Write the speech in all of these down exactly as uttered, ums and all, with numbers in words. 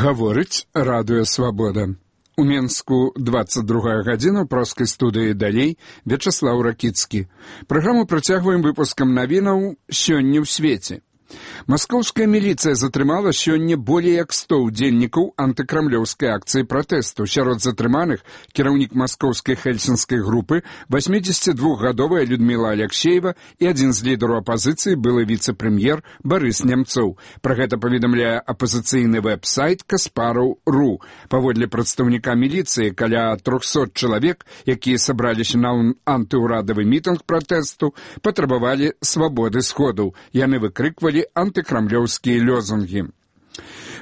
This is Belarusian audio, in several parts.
Гаворыць радыё «Свабода». У Менску двадцать другая гадзіна, праскай студыі далей Вячаслаў Ракіцкі. Праграму працягваем выпускам навінаў «Сёння ў свеце». Маскоўская міліцыя затрымала сёння болей як сто ўдзельнікаў антыкрамлёўскай акцыі пратэсту. Сярод затрыманых кіраўнік маскоўскай хельсінскай групы, восьмідзесятидвухгадовая Людмила Алексеева і адзін з лідараў апазіцыі былы віцэ-прэм'ер Барыс Нямцоў. Пра гэта паведамляе апазіцыйны вэб-сайт Каспараў точка ру. Паводле прадстаўніка міліцыі, каля трохсот чалавек, якія сабраліся на антыўрадавы мітынг пратэсту, патрабавалі свабоды сходаў. Яны выкрыквалі антыкрамлёўскія лёзунгі.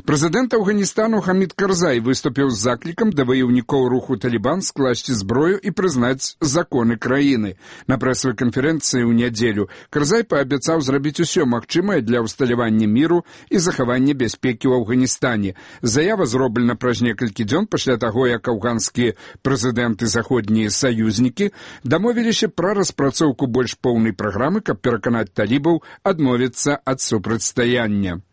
Прэзідэнт Афганістану Хамід Карзай выступіў з заклікам да ваяўнікоў руху «Талібан» скласці зброю і прызнаць законы краіны. На прэсавай канферэнцыі ў нядзелю Карзай паабяцаў зрабіць усё магчымае для ўсталявання міру і захавання бяспекі ў Афганістане. Заява зроблена праз некалькі дзён пасля таго, як афганскія прэзідэнты заходнія саюзнікі дамовіліся пра распрацоўку больш поўнай праграмы, каб пераканаць талібаў адмовіцца ад супрацьстаяння.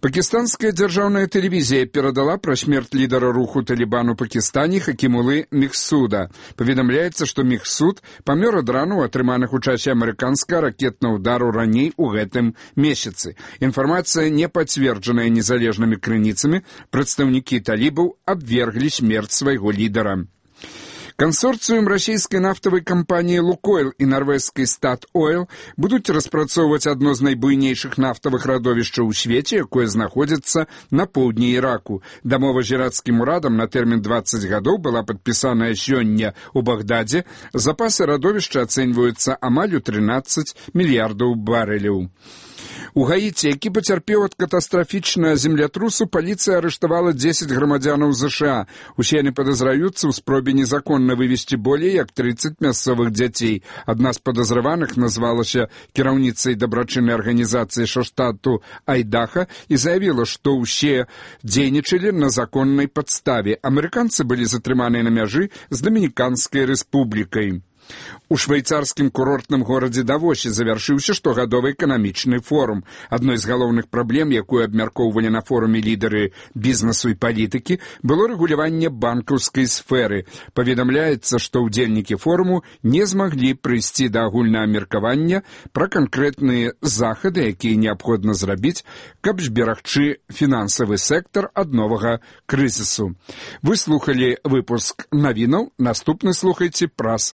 Пакістанская дзяржаўная тэлевізія перадала пра смерць лідара руху «Талібан» у Пакістане Хакімулы Мехсуда. Паведамляецца, што Мехсуд памёр ад ранаў, атрыманых у часе амерыканскага ракетнага ўдару раней у гэтым месяцы. Інфармацыя не пацверджаная незалежнымі крыніцамі. Прадстаўнікі талібаў абверглі смерць свайго лідара. Кансорцыум расійскай нафтавай кампаніі «Лукойл» і нарвежскай «Стат-Ойл» будуць распрацоўваць адно з найбуйнейшых нафтавых радовішчаў у свеце, якое знаходзіцца на поўдні Іраку. Дамова з ірацкім урадам на тэрмін дваццаць гадоў была падпісаная сёння ў Багдадзе. Запасы радовішча ацэньваюцца амаль у трынаццаць мільярдаў барэляў. У Гаіці, які пацярпеў ад катастрафічнага землятрусу, паліцыя арыштавала дзесяць грамадзянаў ЗША. Усе яны падазраюцца ў спробе незаконна вывезці болей як трыццаць мясцовых дзяцей. Адна з падазраваных назвалася кіраўніцай дабрачыннай арганізацыі штату Айдаха і заявіла, што ўсе дзейнічалі на законнай падставе. Амерыканцы былі затрыманыя на мяжы з Дамініканскай рэспублікай. У швейцарскім курортным горадзе Давосе завяршыўся штогадовы эканамічны форум. Адной з галоўных праблем, якую абмяркоўвалі на форуме лідары бізнесу і палітыкі, было рэгуляванне банкаўскай сферы. Паведамляецца, што ўдзельнікі форуму не змаглі прыйсці да агульнага меркавання пра канкрэтныя захады, якія неабходна зрабіць, каб зберагчы фінансавы сектар ад новага крызісу. Вы слухалі выпуск навінаў, наступны слухайце праз